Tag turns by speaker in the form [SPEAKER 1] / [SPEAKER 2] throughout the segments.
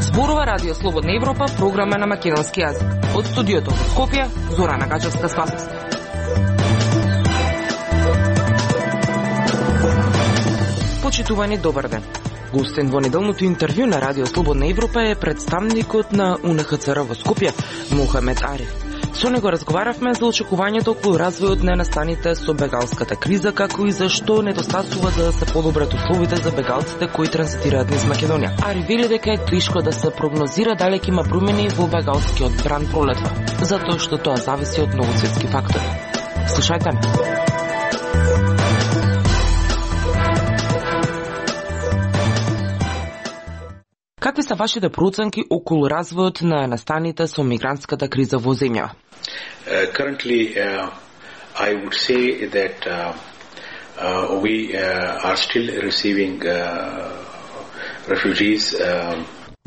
[SPEAKER 1] Зборува Радио Слободна Европа, програма на македонски јазик. Од студиото во Скопје, Зорана Гачевска-Спасовска. Почитувани, добар ден. Гостен во неделното интервју на Радио Слободна Европа е представникот на УНХЦР во Скопје, Мохамед Ариф. Со него разговаравме за очекувањето околу развојот на настаните со бегалската криза, како и зашто недостасува за да се подобрат условите за бегалците кои транзитираат низ Македонија. Ариф вели дека е тешко да се прогнозира дали ќе има промени во бегалскиот бран пролетва, затоа што тоа зависи од многу светски фактори. Слушајте ме. Какви се вашите проценки околу развојот на настаните со мигрантската криза во земја?
[SPEAKER 2] Currently, I would say that we are still receiving refugees.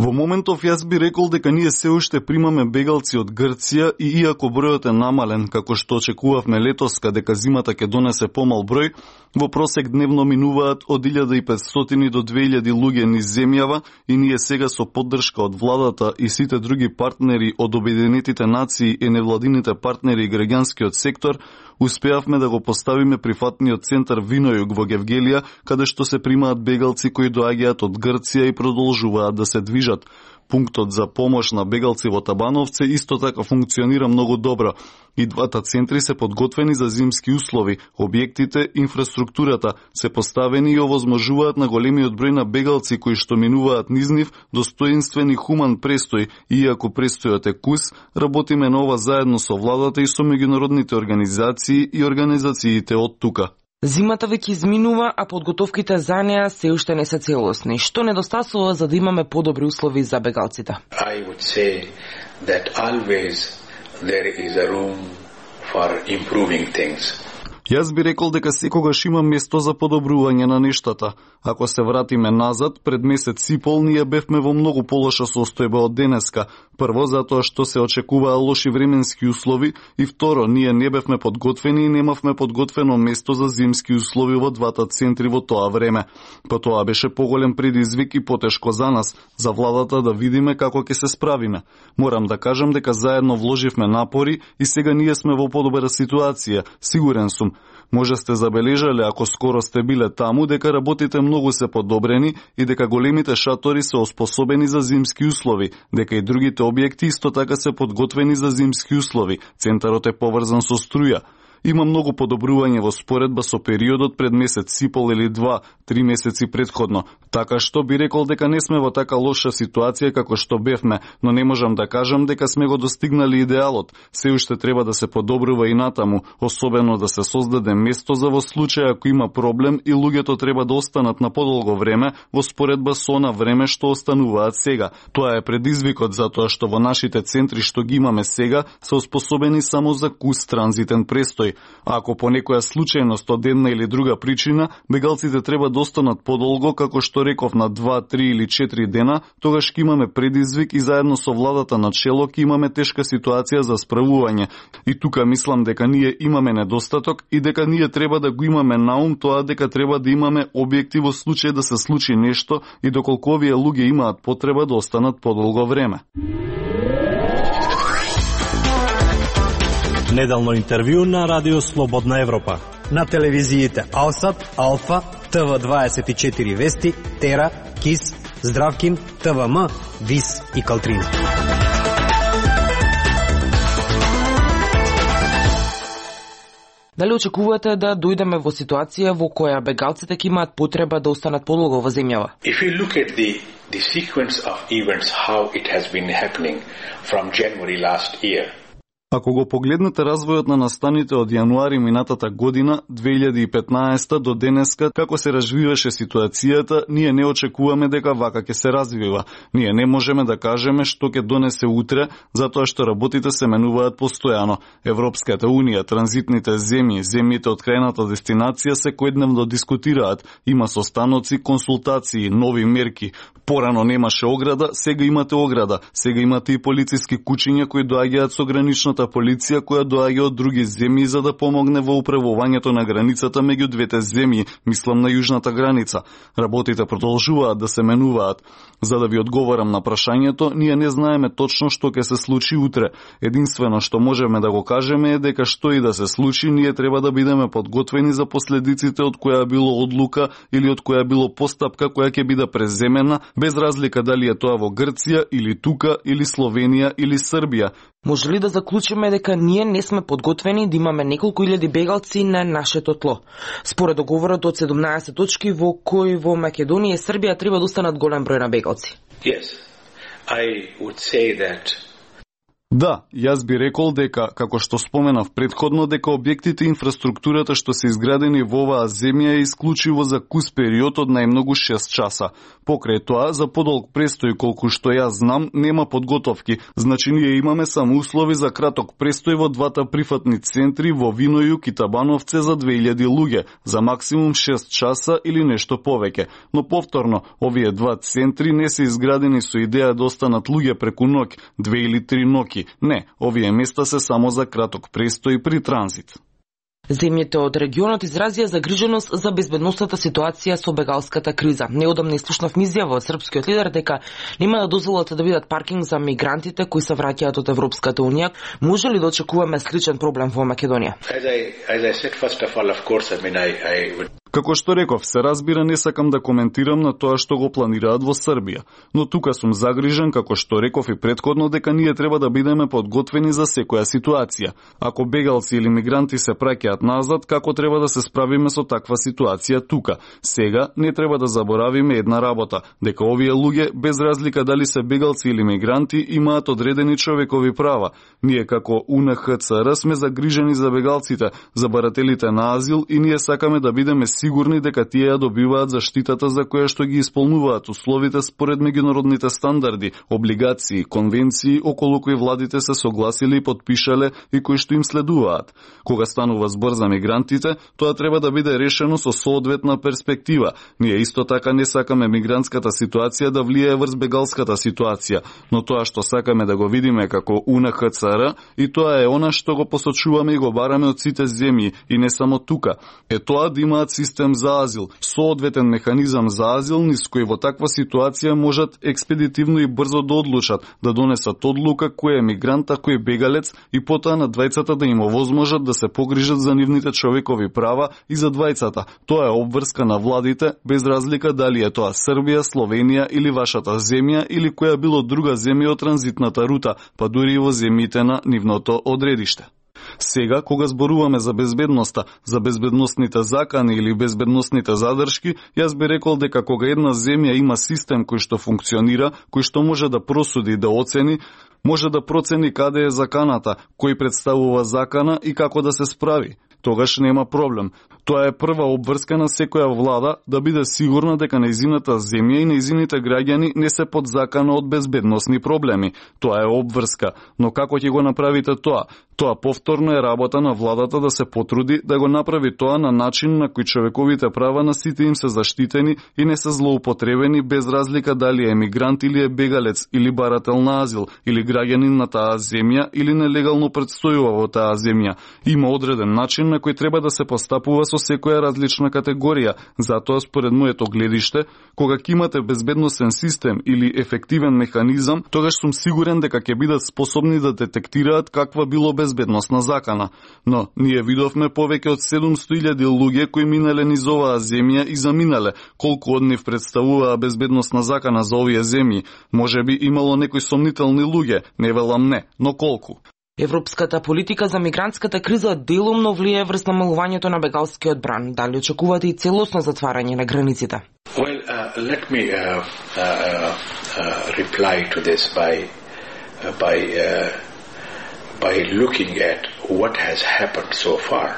[SPEAKER 3] Во моментов јас би рекол дека ние се уште примаме бегалци од Грција и иако бројот е намален, како што очекувавме летоска дека зимата ќе донесе помал број, во просек дневно минуваат од 1500 до 2000 луѓе низ земјава и ние сега со поддршка од владата и сите други партнери од Обединетите нации и невладините партнери и граѓанскиот сектор, успеавме да го поставиме прифатниот центар Винојуг во Гевгелија, каде што се примаат бегалци кои доаѓаат од Грција и продолжуваат да се движат. Пунктот за помош на бегалци во Табановце исто така функционира многу добро. И двата центри се подготвени за зимски услови, објектите, инфраструктурата се поставени и овозможуваат на големиот број на бегалци кои што минуваат низ нив достоинствен и хуман престој, иако престојот е кус, работиме на ова заедно со владата и со меѓународните организации и организациите од тука.
[SPEAKER 1] Зимата веќе изминува, а подготовките за неа се уште не се целосни. Што недостасува за да имаме подобри услови за бегалците?
[SPEAKER 2] I would say that always there is a room for improving things.
[SPEAKER 3] Јас би рекол дека секогаш има место за подобрување на нештата. Ако се вратиме назад, пред месец и пол ние бевме во многу полоша состојба од денеска. Прво, затоа што се очекуваа лоши временски услови и второ, ние не бевме подготвени и немавме подготвено место за зимски услови во двата центри во тоа време. По тоа беше поголем предизвик и потешко за нас, за владата да видиме како ќе се справиме. Морам да кажам дека заедно вложивме напори и сега ние сме во подобра ситуација, сигурен сум. Може сте забележале, ако скоро сте биле таму, дека работите многу се подобрени и дека големите шатори се оспособени за зимски услови, дека и другите објекти исто така се подготвени за зимски услови. Центарот е поврзан со струја. Има многу подобрување во споредба со периодот пред месец и пол или 2-3 месеци претходно. Така што би рекол дека не сме во така лоша ситуација како што бевме, но не можам да кажам дека сме го достигнали идеалот. Се уште треба да се подобрува и натаму, особено да се создаде место за во случај ако има проблем и луѓето треба да останат на подолго време во споредба со на време што остануваат сега. Тоа е предизвикот затоа што во нашите центри што ги имаме сега се оспособени само за кус транзитен престој. Ако по некоја случајност од една или друга причина, бегалците треба да останат подолго, како што реков на 2, 3 или 4 дена, тогаш ќе имаме предизвик и заедно со владата на чело ќе имаме тешка ситуација за справување. И тука мислам дека ние имаме недостаток и дека ние треба да го имаме на ум тоа дека треба да имаме објекти во случај да се случи нешто и доколку овие луѓе имаат потреба да останат подолго време.
[SPEAKER 4] Неделно интервју на Радио Слободна Европа.
[SPEAKER 5] На телевизиите Алсат, Алфа, ТВ24 Вести, Тера, КИС, Здравкин, ТВМ, ВИС и Калтрина.
[SPEAKER 1] Дали очекувате да дојдеме во ситуација во која бегалците ќе имаат потреба да останат подолго во земјава?
[SPEAKER 2] If you look at the sequence of events, how it has been happening from January last year,
[SPEAKER 3] Ако го погледнете развојот на настаните од јануари минатата година, 2015 до денеска, како се развиваше ситуацијата, ние не очекуваме дека вака ќе се развива. Ние не можеме да кажеме што ќе донесе утре, затоа што работите се менуваат постојано. Европската унија, транзитните земји, земјите од крајната дестинација секојдневно дискутираат. Има состаноци, консултации, нови мерки. Порано немаше ограда, сега имате ограда. Сега имате и полициски кучиња кои доаѓаат со граничната граничната полиција која доаѓа од други земји за да помогне во управувањето на границата меѓу двете земји, мислам на јужната граница. Работите продолжуваат да се менуваат. За да ви одговорам на прашањето, ние не знаеме точно што ќе се случи утре. Единствено што можеме да го кажеме е дека што и да се случи, ние треба да бидеме подготвени за последиците од која било одлука или од која било постапка која ќе биде преземена, без разлика дали е тоа во Грција или тука или Словенија или Србија.
[SPEAKER 1] Може ли да заклучиме дека ние не сме подготвени да имаме неколку илјади бегалци на нашето тло? Според договорот од 17 точки во кои во Македонија и Србија треба да останат голем број на бегалци.
[SPEAKER 2] Yes, I would say that.
[SPEAKER 3] Да, јас би рекол дека, како што споменав предходно, дека објектите и инфраструктурата што се изградени во оваа земја е исклучиво за кус период од најмногу 6 часа. Покрај тоа, за подолг престој колку што јас знам, нема подготовки, значи ние имаме само услови за краток престој во двата прифатни центри во Винојук и Табановце за 2000 луѓе, за максимум 6 часа или нешто повеќе. Но повторно, овие два центри не се изградени со идеја да останат луѓе преку ноќ, 2 или 3 ноќи. Не, овие места се само за краток престој при транзит.
[SPEAKER 1] Земјите од регионот изразија загриженост за безбедносната ситуација со бегалската криза. Неодамна изслушнавме изјава од српскиот лидер дека нема да дозволат да бидат паркинг за мигрантите кои се враќаат од Европската унија. Може ли да очекуваме сличен проблем во Македонија?
[SPEAKER 3] Како што реков, се разбира, не сакам да коментирам на тоа што го планираат во Србија, но тука сум загрижен, како што реков и предходно, дека ние треба да бидеме подготвени за секоја ситуација. Ако бегалци или мигранти се праќаат назад, како треба да се справиме со таква ситуација тука? Сега не треба да заборавиме една работа, дека овие луѓе, без разлика дали се бегалци или мигранти, имаат одредени човекови права. Ние како УНХЦР сме загрижени за бегалците, за барателите на азил и ние сакаме да бидеме сигурни дека тие ја добиваат заштитата за која што ги исполнуваат условите според меѓународните стандарди, облигации, конвенции околу кои владите се согласили и подпишале и кои што им следуваат. Кога станува збор за мигрантите, тоа треба да биде решено со соодветна перспектива. Ние исто така не сакаме мигрантската ситуација да влијае врз бегалската ситуација, но тоа што сакаме да го видиме како УНХЦР и тоа е она што го посочуваме и го бараме од сите земји и не само тука. Е тоа да имаат систем за азил, соодветен механизам за азил низ кој во таква ситуација можат експедитивно и брзо да одлучат, да донесат одлука кој е мигрант, а кој е бегалец и потоа на двајцата да им овозможат да се погрижат за нивните човекови права и за двајцата. Тоа е обврска на владите, без разлика дали е тоа Србија, Словенија или вашата земја или која било друга земја од транзитната рута, па дури и во земјите на нивното одредиште. Сега, кога зборуваме за безбедноста, за безбедносните закани или безбедносните задршки, јас би рекол дека кога една земја има систем кој што функционира, кој што може да просуди, да оцени, може да процени каде е заканата, кој представува закана и како да се справи, тогаш нема проблем. Тоа е прва обврска на секоја влада да биде сигурна дека нејзината земја и нејзините граѓани не се под закана од безбедносни проблеми. Тоа е обврска, но како ќе го направите тоа? Тоа повторно е работа на владата да се потруди да го направи тоа на начин на кој човековите права на сите им се заштитени и не се злоупотребени без разлика дали е мигрант или е бегалец или барател на азил или граѓанин на таа земја или нелегално предстојува во таа земја. Има одреден начин на кој треба да се постапува со секоја различна категорија. Затоа, според моето гледиште, кога ќе имате безбедносен систем или ефективен механизам, тогаш сум сигурен дека ќе бидат способни да детектираат каква било безбедносна закана. Но ние видовме повеќе од 700.000 луѓе кои минале низ оваа земја и заминале. Колку од нив представуваа безбедносна закана за овие земји? Можеби имало некои сомнителни луѓе, не велам не, но колку?
[SPEAKER 1] Европската политика за мигрантската криза делумно влијае врз намалувањето на бегалскиот бран. Дали очекувате и целосно затварање на границите?
[SPEAKER 2] Well, let me reply to this by looking at what has happened so far.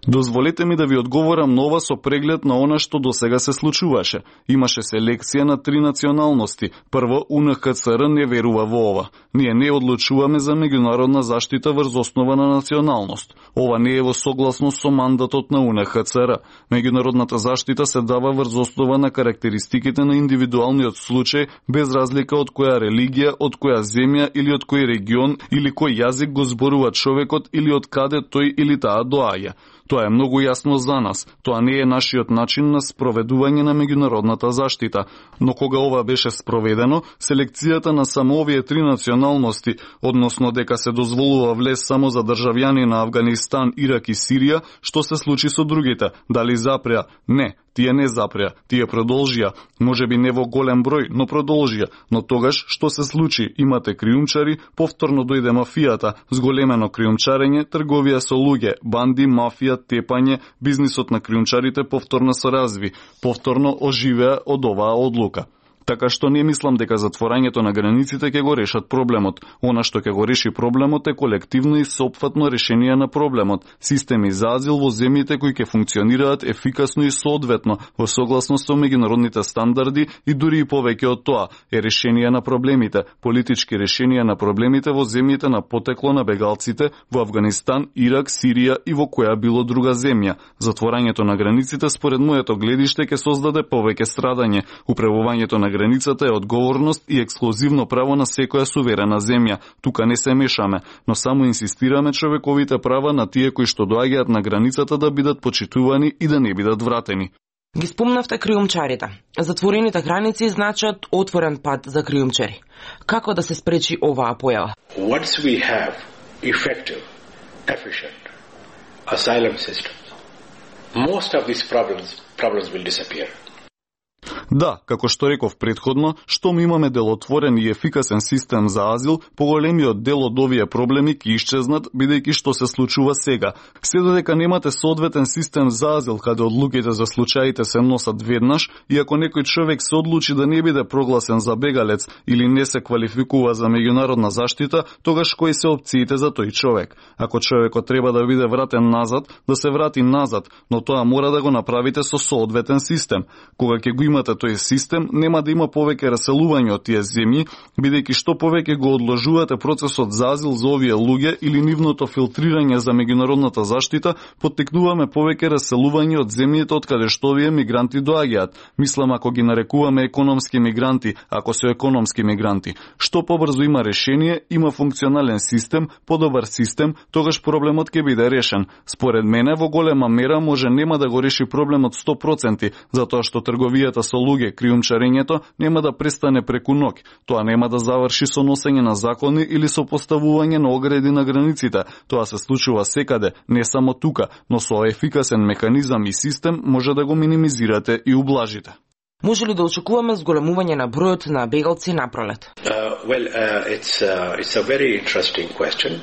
[SPEAKER 3] Дозволете ми да ви одговорам на ова со преглед на она што досега се случуваше. Имаше селекција на 3 националности. Прво, УНХЦР не верува во ова. Ние не одлучуваме за меѓународна заштита врз основа на националност. Ова не е во согласност со мандатот на УНХЦР. Меѓународната заштита се дава врз основа на карактеристиките на индивидуалниот случај, без разлика од која религија, од која земја или од кој регион или кој јазик го зборува човекот или од каде тој или таа доаѓа. Тоа е многу јасно за нас. Тоа не е нашиот начин на спроведување на меѓународната заштита. Но кога ова беше спроведено, селекцијата на само овие 3 националности, односно дека се дозволува влез само за државјани на Авганистан, Ирак и Сирија, што се случи со другите? Дали запреа? Не. Тие не запреа, тие продолжија, можеби не во голем број, но продолжија. Но тогаш, што се случи? Имате криумчари, повторно дојде мафијата, зголемено криумчарење, трговија со луѓе, банди, мафија, тепање, бизнисот на криумчарите повторно се разви, повторно оживеа од оваа одлука. Така што не мислам дека затворањето на границите ќе го решат проблемот. Она што ќе го реши проблемот е колективно и соопфатно решение на проблемот. Системи за азил во земјите кои ќе функционираат ефикасно и соодветно во согласност со меѓународните стандарди и дури и повеќе од тоа е решение на проблемите, политички решенија на проблемите во земјите на потекло на бегалците во Авганистан, Ирак, Сирија и во која било друга земја. Затворањето на границите според моето гледиште ќе создаде повеќе страдање. Управувањето на границата е одговорност и ексклузивно право на секоја суверена земја. Тука не се мешаме, но само инсистираме човековите права на тие кои што доаѓаат на границата да бидат почитувани и да не бидат вратени.
[SPEAKER 1] Ги спомнавте криумчарите. Затворените граници значат отворен пат за криумчари. Како да се спречи оваа појава?
[SPEAKER 2] Once we have effective, efficient asylum systems, most of these problems will disappear.
[SPEAKER 3] Да, како што реков предходно, штом имаме делотворен и ефикасен систем за азил, поголемиот дел од овие проблеми ќе исчезнат, бидејќи што се случува сега. Се додека немате соодветен систем за азил, каде одлуките за случаите се носат веднаш, и ако некој човек се одлучи да не биде прогласен за бегалец или не се квалификува за меѓународна заштита, тогаш кои се опциите за тој човек? Ако човекот треба да биде вратен назад, да се врати назад, но тоа мора да го направите со соодветен систем. Кога ќе го имате тој систем, нема да има повеќе раселување од тие земји, бидејќи што повеќе го одложувате процесот за азил за овие луѓе или нивното филтрирање за меѓународната заштита, поттикнуваме повеќе раселување од земјите од каде што овие мигранти доаѓаат. Мислам, ако ги нарекуваме економски мигранти, ако се економски мигранти. Што побрзо има решение, има функционален систем, подобар систем, тогаш проблемот ќе биде решен. Според мене, во голема мера може нема да го реши проблемот 100%, затоа што трговијата со луѓе, криумчарењето нема да престане преку ноќ. Тоа нема да заврши со носење на закони или со поставување на огради на границите. Тоа се случува секаде, не само тука, но со ефикасен механизам и систем може да го минимизирате и ублажите.
[SPEAKER 1] Може ли да очекуваме зголемување на бројот на бегалци напролет?
[SPEAKER 2] It's a very interesting question.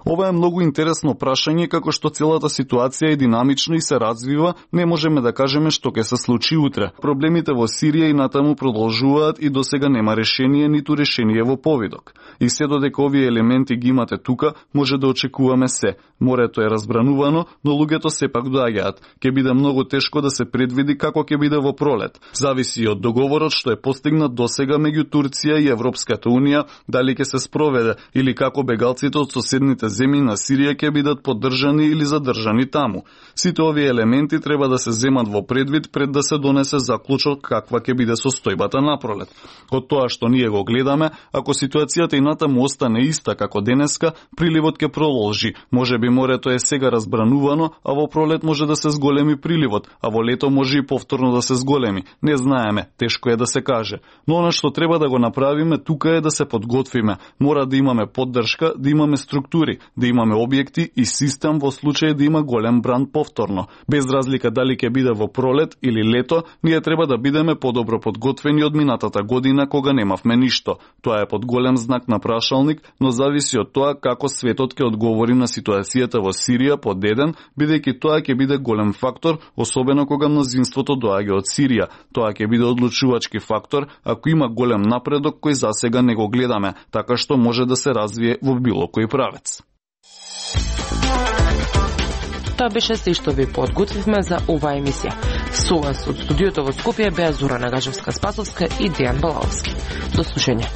[SPEAKER 3] Ова е многу интересно прашање, како што целата ситуација е динамична и се развива, не можеме да кажеме што ќе се случи утре. Проблемите во Сирија и натаму продолжуваат и досега нема решение, ниту решение во повидок. И се додека овие елементи ги имате тука, може да очекуваме се. Морето е разбранувано, но луѓето сепак доаѓаат. Ќе биде многу тешко да се предвиди како ќе биде во пролет. Зависи од договорот што е постигнат досега меѓу Турција и Европската унија, дали ќе се спроведе или како бегалците од соседните земји на Сирија ќе бидат поддржани или задржани таму. Сите овие елементи треба да се земат во предвид пред да се донесе заклучок каква ќе биде состојбата напролет. Од тоа што ние го гледаме, ако ситуацијата и натаму остане иста како денеска, приливот ќе продолжи. Можеби морето е сега разбранувано, а во пролет може да се зголеми приливот, а во лето може и повторно да се зголеми. Не знаеме, тешко е да се каже. Но она што треба да го направиме тука е да се подготвиме. Мора да имаме поддршка, да имаме структури, да имаме објекти и систем во случај да има голем бран повторно. Без разлика дали ќе биде во пролет или лето, ние треба да бидеме подобро подготвени од минатата година кога немавме ништо. Тоа е под голем знак на прашалник, но зависи од тоа како светот ќе одговори на ситуацијата во Сирија под еден, бидејќи тоа ќе биде голем фактор, особено кога мнозинството доаѓа од Сирија. Тоа ќе биде одлучувачки фактор ако има голем напредок кој засега не го гледаме, така што може да се развие во било кој правец.
[SPEAKER 1] Тоа беше се што ви подготвивме за оваа емисија. Со вас од студиото во Скопје беа Зора Нагажевска-Спасовска и Дејан Балаовски. До слушање.